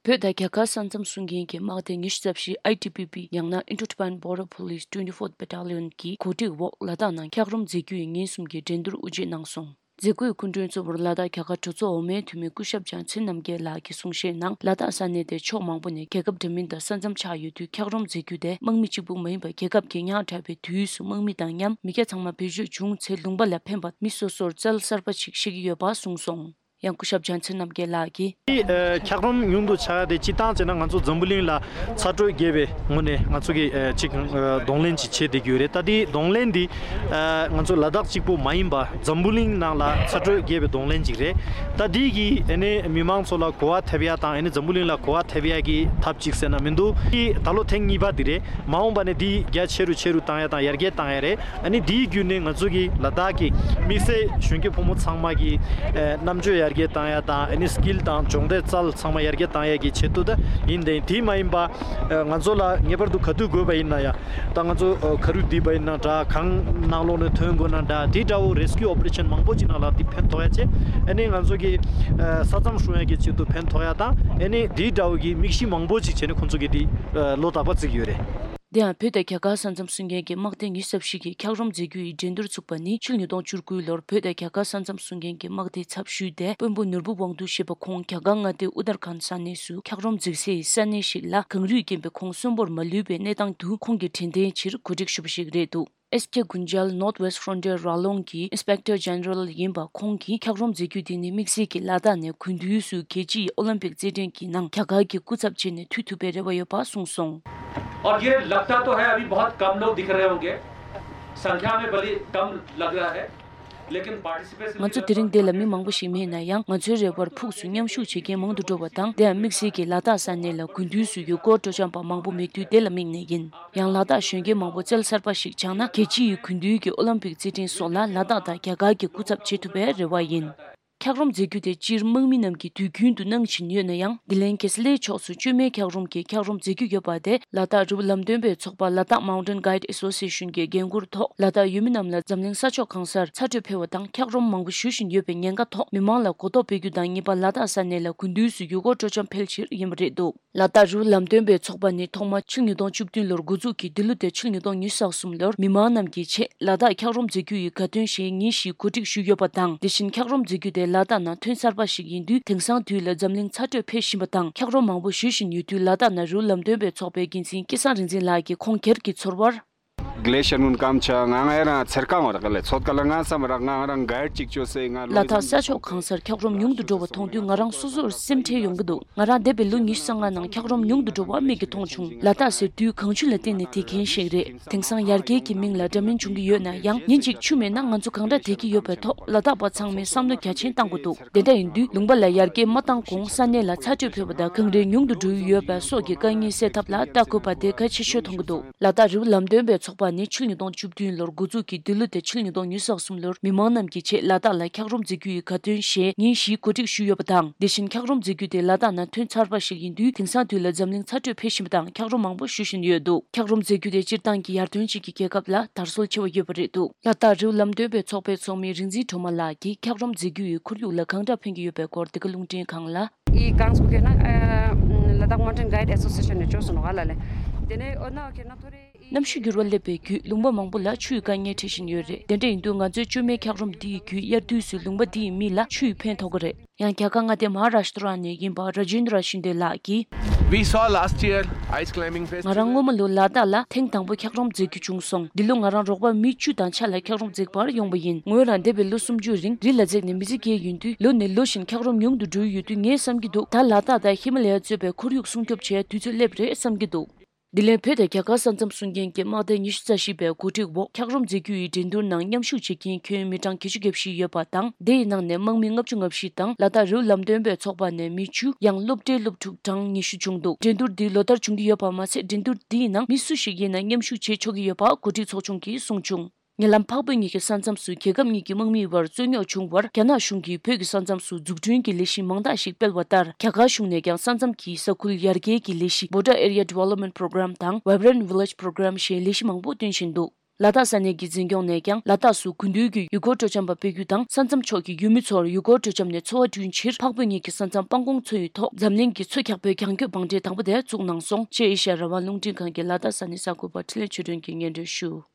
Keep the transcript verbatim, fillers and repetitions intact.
བོད་དང་རྒྱ་གར་ས་མཚམས་སྲུང་མཁན་གྱི་དམག་སྡེ་ཉི་ཤུ་རྩ་བཞི་I T B P ཡང་ན་Indo-Tibetan Border Police twenty-fourth Battalion གྱི་གོ་སྒྲིག་འོག་ལ་དྭགས་ནང་འཁྱགས་རོམ་འཛེགས་རྒྱུ་ཡི་ཉིན་གསུམ་གྱི་འགྲན་བསྡུར་དབུ་འབྱེད་གནང་སོང་། མཛད་སྒོའི་སྐུ་མགྲོན་གཙོ་བོར་ལ་དྭགས་རྒྱ་གར་གྲོས་ཚོགས་འོག་མའི་འཐུས་མི་སྐུ་ཞབས་ལྗང་ཚེ་རྣམ་རྒྱལ་ལགས་ཀྱིས་གསུང་བཤད་ནང་། ལ་དྭགས་ས་གནས་དེ་ཕྱོགས་མང་པོ་ནས་རྒྱལ་ཁབ་འདྲ་མིན་དང་ས་མཚམས་ཆགས་ཡོད་དུས། འཁྱགས་རོམ་འཛེགས་རྒྱུ་དེ་དམག་མི་གཅིག་པུ་མ་ཡིན་པར་རྒྱལ་ཁབ་ཀྱི་ཉག་ཕྲ་བའི་དུས་སུ་དམག་མི་དང་མཉམ་མི་སྐྱ་ཚང་མ་བེད་སྤྱོད་བྱུང་ཚེ། ལུང་པ་ལ་ཕན་པ་མི་སོ་སོར་བཙལ་གསར་པ་ཞིག་ཤེས་ཀྱི་ཡོད་པ་གསུངས་སོང་། ཡང་སྐུ་ཞབས་ལྗང་ཚེ་རྣམ་རྒྱལ་ལགས་ཀྱིས། འདི་ཨ་འཁྱགས་རོམ་ཉུང་དུ་ཆགས་ཏེ། སྤྱིར་བཏང་བྱས་ན་ང་ཚོ་འཛམ་བུ་གླིང་ལ་ཚ་དྲོད་རྒྱས་པའི་ངོས་ནས་ང་ཚོ་གིས་ཨ་ཅིག་ཨ་གདོང་ལེན་ཅིག་བྱེད་བསྡད་ཀྱི་ཡོད་རེད། ད་འདི་གདོང་ལེན་འདི་ཨ་ང་ཚོ་ལ་དྭགས་གཅིག་པུ་མ་ཡིན་པ་འཛམ་བུ་གླིང་ནང་ལ་ཚ་དྲོད་རྒྱས་པའི་གདོང་ལེན་ཅིག་རེད། ད་འདི་གིས་ཨ་ནི་མི་མང་ཚོ་ལ་གོ་བ་ཐེབས་ཡ་དང་། ཨ་ནི་འཛམ་བུ་གླིང་ལ་གོ་བ་ཐེབས་ཡ་གི་ཐབས་ཅིག་ཟེར་ན་མི་འདུག་འདི་ད་ལོ་ཐེངས་གཉིས་པ་འདི་རེད། མ་འོངས་པ་ནས་འདི་རྒྱ་ཆེ་རུ་ཆེ་རུ་བཏང་ཡ་དང་ཡར་རྒྱས་བཏང་ཡ་རེད། ཨ་ནི་འདིའི་བརྒྱུད་ནས་ང་ཚོ་གི་ལ་དྭགས་ཀྱི་དམིགས་བསལ་གཞོན་སྐྱེས་ཕོ་མོ་ཚང་མ་གི་ཨ་རྣམ་དཔྱོད་ཡར་རྒྱས་བཏང་ཡ་དང་། ཨ་ནི་སི་ཀིལ་དང་སྦྱོང་བརྡར་རྩལ་ཚང་མ་ཡར་རྒྱས་བཏང་ཡ་གི་ཆེད་དུ་ད་ཡིན། དེ་དེ་མ་ཡིན་པ་ཨ་ང་ཚོ་ལ་ངེས་པར་དུ་ག་དུས་དགོས་པ་ཡིན་ན་ཡང་། ད་ང་ཚོ་ཨ་ཁ་རུ་བསྡད་པ་ཡིན་ན་འདྲ། གངས་ནང་ལོགས་ནས་ཐོན་དགོས་ན་འདྲ། དེ་འདྲ་བོ་རེ་སི་ཀིའུ་ཨོ་པ་རེ་ཤན་མང་པོ་ཅིག་ནང་ལ་དེ་ཕན་ཐོགས་ཡ་བྱས། ཨ་ནི་ང་ཚོ་གི་ཨ་ས་མཚམས་སྲུང་ཡ་གི་ཆེད་དུ་ཕན་ཐོགས་ཡ་དང་། ཨ་ནི་དེ་འདྲ་བོ་གི་དམིགས་གཞི་མང་པོ་ཅིག་བྱས་ནས་ཁོང་ཚོ་གི་དེ་ཨ་བློ་ཐག་པ་བརྩི་གི་ཡོད་རེད། དེ་ཡང་བོད་དང་རྒྱ་གར་ས་མཚམས་སྲུང་མཁན་གྱི་དམག་སྡེ་ཉི་ཤུ་རྩ་བཞི་གིས་འཁྱགས་རོམ་འཛེགས་རྒྱུ་ཡི་འགྲན་བསྡུར་ཚུགས་པ་ནི་ཕྱི་ལོ་ཉིས་སྟོང་བཅུ་དགུ་ལོར་བོད་དང་རྒྱ་གར་ས་མཚམས་སྲུང་མཁན་གྱི་དམག་སྡེའི་ཚབ་ཞུས་ཏེ། དཔོན་པོ་ནོར་བུ་དབང་འདུས་ཞེས་པ་ཁོང་རྒྱ་གར་མངའ་སྡེ་ཨུ་ཏར་ཁཱན་ས་གནས་སུ་འཁྱགས་རོམ་འཛེགས་སའི་ས་གནས་ཤིག་ལ་གངས་རུད་རྐྱེན་པས་ཁོང་གསོན་པོར་མ་ལུས་པའི་གནས་སྟངས་དུ། ཁོང་གི་དྲན་རྟེན་ཆེད་གོ་སྒྲིག་ཞུས་པ་ཞིག་རེད་འདུག་ཨེས་ཀེ་གུན་ཇལ་North West Frontier ར་ལུང་གི་Inspector General ཡིན་པ་ཁོང་གིས། འཁྱགས་རོམ་འཛེགས་རྒྱུ་དེ་ནི་དམིགས་བསལ་གྱི་ལ་དྭགས་ནས་དགུན་དུས་སུ་རྒྱལ་སྤྱིའི་ཨོ་ལིམ་པིག་རྩེད་འགྲན་གྱི་ནང་རྒྱ་གར་གྱི་སྐུ་ཚབ་བྱས་ནས་མཐུད་ཐུབ་པའི་རེ་བ་ཡོད་པ་གསུངས་སོང་། और ये लगता तो है, अभी बहुत कम लोग दिख रहे होंगे, संख्या में भले कम लग रहा है, लेकिन पार्टिसिपेशन ང་ཚོ་དེ་རིང་འདི་ལ་མི་མང་པོ་ཞིག་མེད་ན་ཡང་། ང་ཚོའི་རེ་བར་ཕུགས་སུ་མཉམ་ཞུགས་བྱེད་མཁན་མང་དུ་འགྲོ་བ་དང་། དེ་ཡང་དམིགས་བསལ་གྱི་ལ་དྭགས་ས་གནས་ལ་དགུན་དུས་སུ་ཡུལ་སྐོར་སྤྲོ་འཆམ་པ་མང་པོ་མེད་དུས་དེ་ལ་དམིགས་ནས་ཡིན། ཡང་ལ་དྭགས་གཞོན་སྐྱེས་མང་པོ་རྩལ་གསར་པ་ཞིག་སྦྱངས་ན། རྒྱལ་སྤྱིའི་དགུན་དུས་ཀྱི་ཨོ་ལིམ་པིག་རྩེད་འགྲན་སོགས་ལ་ལ་དྭགས་དང་རྒྱ་གར་གྱི་སྐུ་ཚབ་བྱེད་ཐུབ་པའི་རེ་བ་ཡིན། འཁྱགས་རོམ་འཛེགས་རྒྱུ་དེ་སྤྱིར་དམག་མི་རྣམས་ཀྱིས་དུས་རྒྱུན་དུ་གནང་བཞིན་ཡོད་ན་ཡང་། ལྡི་ལན་གེ་སི་ལའི་ཕྱོགས་སུ་བཅོས་མའི་འཁྱགས་རོམ་གྱི་འཁྱགས་རོམ་འཛེགས་རྒྱུ་ཡོད་པ་དེ་ལ་དྭགས་རི་བོ་ལམ་སྟོན་པའི་ཚོགས་པ་Ladakh Mountain Guide Association གྱི་འགན་འཁུར་ཐོག་ལ་དྭགས་ཡུལ་མི་རྣམས་ལ་འཛམ་གླིང་ས་ཕྱོགས་གང་སར་ཚ་དྲོད་འཕེལ་བ་དང་། འཁྱགས་རོམ་མང་པོ་བཞུ་བཞིན་ཡོད་པའི་ཉེན་ཁ་ཐོག་མི་མང་ལ་གོ་རྟོགས་སྤེལ་རྒྱུ་དང་། གཉིས་པ། ལ་དྭགས་ས་གནས་ལ་དགུན་དུས་སུ་ཡུལ་སྐོར་སྤྲོ་འཆམ་འཕེལ་ཕྱིར་ཡིན་པ་རེད་འདུག་ལ་དྭགས་རི་བོ་ལམ་སྟོན་པའི་ཚོགས་པ་ནི་ཐོག་མ་ཕྱི་ལོ་ཉིས་སྟོང་བཅུ་བདུན་ལོར་འགོ་འཛུགས་ཀྱིས། འདི་ལོ་དེ་ཕྱི་ལོ་ཉིས་སྟོང་ཉི་ཤུ་རྩ་གསུམ་ལོར་མི་མང་རྣམས་ཀྱི་ཆེད་ལ་དྭགས་འཁྱགས་རོམ་འཛེགས་རྒྱུ་ཡི་དགའ་སྟོན་ཞེས་ཉིན་བཞིའི་གོ་སྒྲིག་ཞུས་ཡོད་པ་དང་། དེ་བཞིན་འཁྱགས་རོམ་འཛེགས་རྒྱུ་དེ་ལ་དྭགས་ནང་ཐོན་ཚར་བ་ཞིག་ཡིན་དུས། དེང་སང་དུས་ལ་འཛམ་གླིང་ཚ་དྲོད་འཕེལ་བཞིན་པ་དང་། འཁྱགས་རོམ་མང་པོ་བཞུ་བཞིན་ཡོད་དུས། ལ་དྭགས་ནང་རི་བོ་ལམ་སྟོན་པའི་ཚོགས་པའི་འགན་འཛིན་སྐལ་བཟང་རིག་འཛིན་ལགས་ཀྱིས་ཁོང་སྒེར་གྱི་ཚོར་བར། ग्लेशियर ནུན་སྐམ་ཆ་ང་ང་རང་ཚེར་ཀང་བ་རག་ལས་ཚོད་ཀ་ལ་ང་བསམ་རག་ང་རང་ག་ཅིག་ཅོ་སེ་ང་ལ་དྭགས་ས་ཕྱོགས་གང་སར་འཁྱགས་རོམ་ཉུང་དུ་འགྲོ་བ་མཐོང་དུས། ང་རང་སོ་སོར་སེམས་ཁྲལ་ཡོང་གི་འདུག་ང་རང་འདས་པའི་ལོ་ཉི་ཤུ་རྩ་ལྔ་ནང་འཁྱགས་རོམ་ཉུང་དུ་འགྲོ་བ་མིག་གིས་མཐོང་བྱུང་། ལ་དྭགས་ཟེར་དུས་གངས་ཆུ་ལ་བརྟེན་ནས་བསྡད་མཁན་ཞིག་རེད། དེང་སང་ཡར་རྒྱས་ཀྱི་མིང་ལ་འདྲ་མིན་བྱུང་གི་ཡོད་ན་ཡང་། ཉིན་གཅིག་ཆུ་མེད་ན་ང་ཚོ་གང་འདྲ་བསྡད་ཀྱི་ཡོད་པའི་ཐོག་ལ་དྭགས་པ་ཚང་མས་བསམ་བློ་རྒྱ་ཆེན་བཏང་དགོས་འདུག་དེ་འདྲ་ཡིན་དུས། ལུང་པ་ལ་ཡར་རྒྱས་མ་བཏང་གོང་ས་གནས་ལ་ཚ་དྲོད་འཕེལ་བ་དང་། གངས་རི་ཉུང་དུ་འགྲོ་ཡི་ཡོད་པ་སོགས་ཀྱི་དཀའ་ངལ་སེལ་ཐབས་ལ་ལྟ་དགོས་པ་དེ་གལ་ཆེ་ཤོས་མཐོང་གི་འདུག་ལ་དྭགས་རི་བོ་ལམ་སྟོན་པའི་ཚོགས་པ་ནི་ཕྱི་ལོ་ཉིས་སྟོང་བཅུ་བདུན་ལོར་འགོ་འཛུགས་ཀྱིས། འདི་ལོ་དེ་ཕྱི་ལོ་ཉིས་སྟོང་ཉི་ཤུ་རྩ་གསུམ་ལོར་མི་མང་རྣམས་ཀྱི་ཆེད་ལ་དྭགས་ལ་འཁྱགས་རོམ་འཛེགས་རྒྱུ་ཡི་དགའ་སྟོན་ཞེས་ཉིན་བཞིའི་གོ་སྒྲིག་ཞུས་ཡོད་པ་དང་། དེ་བཞིན་འཁྱགས་རོམ་འཛེགས་རྒྱུ་དེ་ལ་དྭགས་ནང་ཐོན་ཚར་བ་ཞིག་ཡིན་དུས། དེང་སང་དུས་ལ་འཛམ་གླིང་ཚ་དྲོད་འཕེལ་བཞིན་པ་དང་། འཁྱགས་རོམ་མང་པོ་བཞུ་བཞིན་ཡོད་འདུག་འཁྱགས་རོམ་འཛེགས་རྒྱུ་དེ་སྤྱིར་བཏང་གི་ཡར་ཐོན་ཅན་གྱི་རྒྱལ་ཁབ་ལ་དར་སྲོལ་ཆེ་བ་ཡོད་པ་རེད་འདུག་ལ་དྭགས་རི་བོ་ལམ་སྟོན་པའི་ཚོགས་པའི་ཚོགས་མི་རིག་འཛིན་སྒྲོལ་མ་ལགས་ཀྱིས་འཁྱགས་རོམ་འཛེགས་རྒྱུ་ཡིས་ཁོར་ཡུག་ལ་གང་འདྲ་ཕན་གྱི་ཡོད་པའི་སྐོར་འདི་ག་རླུང་འཕྲིན་ཁང་ལ། ཡི་གངས་སྐུ་ཁེ་ན་ལ་དྭགས་མོན་ཊེན་གྷའིཌ་ཨེ་སོ་སི་ཨེ་ཤན་ནས་བཅོས་སོང་ནོ་ག་ལ་ལེ། དེ་ནས་ཨོ་ན་ཁེ་ན་ཐོ་རེ། གནམ་གཤིས་འགྱུར་བ་སླེབས་པའི་བརྒྱུད་ལུང་པ་མང་པོ་ལ་ཆུའི་དཀའ་ངལ་འཕྲད་བཞིན་ཡོད་རེད། དེ་འདྲ་ཡིན་དུས་ང་ཚོའི་བཅོས་མའི་འཁྱགས་རོམ་འདི་ཡི་བརྒྱུད་དབྱར་དུས་སུ་ལུང་པ་འདི་ཡི་མི་ལ་ཆུས་ཕན་ཐོགས་ཀྱི་རེད། ཡང་རྒྱ་གར་མངའ་སྡེ་མ་ཧཱ་རཱཤ་ཏྲ་ནས་ཡིན་པ་ར་ཇེན་དྲ་ཤིན་དེ་ལགས་ཀྱིས། We saw last year ice climbing festival. ང་རང་སྔོན་མ་ལོ་ལ་དྭགས་ལ་ཐེངས་དང་པོ་འཁྱགས་རོམ་འཛེགས་རྒྱུ་བྱུང་སོང་། འདི་ལོ་ང་རང་རོགས་པ་མི་བཅུ་དང་ཆ་ལ་འཁྱགས་རོམ་འཛེགས་པར་ཡོང་པ་ཡིན། ངོས་རང་འདས་པའི་ལོ་སུམ་ཅུའི་རིང་རི་ལ་འཛེགས་ནས་མི་ཚེ་སྐྱེལ་ཡོང་དུས། ལོ་ནས་ལོ་བཞིན་འཁྱགས་རོམ་ཉུང་དུ་འགྲོ་ཡི་ཡོད་དུས། ངས་བསམ་གྱི་འདུག་ད་ལ་དྭགས་དང་ཧི་མ་ལ་ཡ་གཙོས་པའི་ཁོར་ཡུག་སྲུང་སྐྱོབ་བྱེད་ཡ་དུས་ཚོད་སླེབས་རེད་བསམ་གྱི་འདུག་འདི་ལན་བོད་དང་རྒྱ་གར་ས་མཚམས་སྲུང་མཁན་གྱི་དམག་སྡེ་ཉི་ཤུ་རྩ་བཞི་པའི་གོ་སྒྲིག་འོག་འཁྱགས་རོམ་འཛེགས་རྒྱུ་ཡི་འགྲན་བསྡུར་ནང་མཉམ་ཞུགས་བྱེད་མཁན་ཁྱོན་མི་གྲངས་བརྒྱད་ཅུ་གྱ་བཞི་ཡོད་པ་དང་། དེ་ཡི་ནང་ནས་དམག་མི་ལྔ་བཅུ་ང་བཞི་དང་། ལ་དྭགས་རི་བོ་ལམ་སྟོན་པའི་ཚོགས་པ་ནས་མི་བཅུ། ཡང་སློབ་གྲྭའི་སློབ་ཕྲུག་གྲངས་ཉི་ཤུ་བྱུང་འདུག་འགྲན་བསྡུར་འདི་ལོ་ལྟར་བྱུང་གི་ཡོད་པ་མ་ཚད། འགྲན་བསྡུར་འདིའི་ནང་མི་སུ་ཞིག་ཡིན་ན་མཉམ་ཞུགས་བྱེད་ཆོག་གི་ཡོད་པ་གོ་སྒྲིག་ཚོགས་ཆུང་གིས་གསུངས་བྱུང་། ཉེ་ལམ་འཕགས་བོད་གཉིས་ཀྱི་ས་མཚམས་སུ་རྒྱལ་ཁབ་གཉིས་ཀྱི་དམག་མིའི་བར་རྩོད་རྙོག་བྱུང་བར། རྒྱ་ནག་གཞུང་གིས་བོད་ཀྱི་ས་མཚམས་སུ་འཛུགས་སྐྲུན་གྱི་ལས་གཞི་མང་དག་ཞིག་སྤེལ་བ་ལྟར། རྒྱ་གར་གཞུང་ནས་ཀྱང་ས་མཚམས་ཀྱི་ས་ཁུལ་ཡར་རྒྱས་ཀྱི་ལས་གཞི་Border Area Development Program དང་Vibrant Village Program ཞེས་ལས་གཞི་མང་པོ་བཏོན་བཞིན་འདུག་ལ་དྭགས་ས་གནས་ཀྱི་འཛིན་སྐྱོང་ནས་ཀྱང་ལ་དྭགས་སུ་དགུན་དུས་ཀྱི་ཡུལ་སྐོར་སྤྲོ་འཆམ་པ་སྤེལ་རྒྱུ་དང་། ས་མཚམས་ཕྱོགས་ཀྱི་ཡུལ་མི་ཚོར་ཡུལ་སྐོར་སྤྲོ་འཆམ་ནས་འཚོ་བ་བསྐྲུན་ཕྱིར་འཕགས་བོད་གཉིས་ཀྱི་ས་མཚམས་སྤང་གོང་མཚོ་ཡི་ཐོག་འཛམ་གླིང་གི་མཚོ་འཁྱག་པོའི་གྱང་སྐྱོད་བང་སྒྲིག་དང་པོ་དེ་བཙུགས་གནང་སོང་ཞེས་ཨེ་ཤ་ཡ་རང་དབང་རླུང་འཕྲིན་ཁང་གི་ལ་དྭགས་ས་གནས་གསར་འགོད་པ་འཕྲིན་ལས་ཆོས་སྒྲོན་གྱིས་སྙན་སྒྲོན་ཞུ།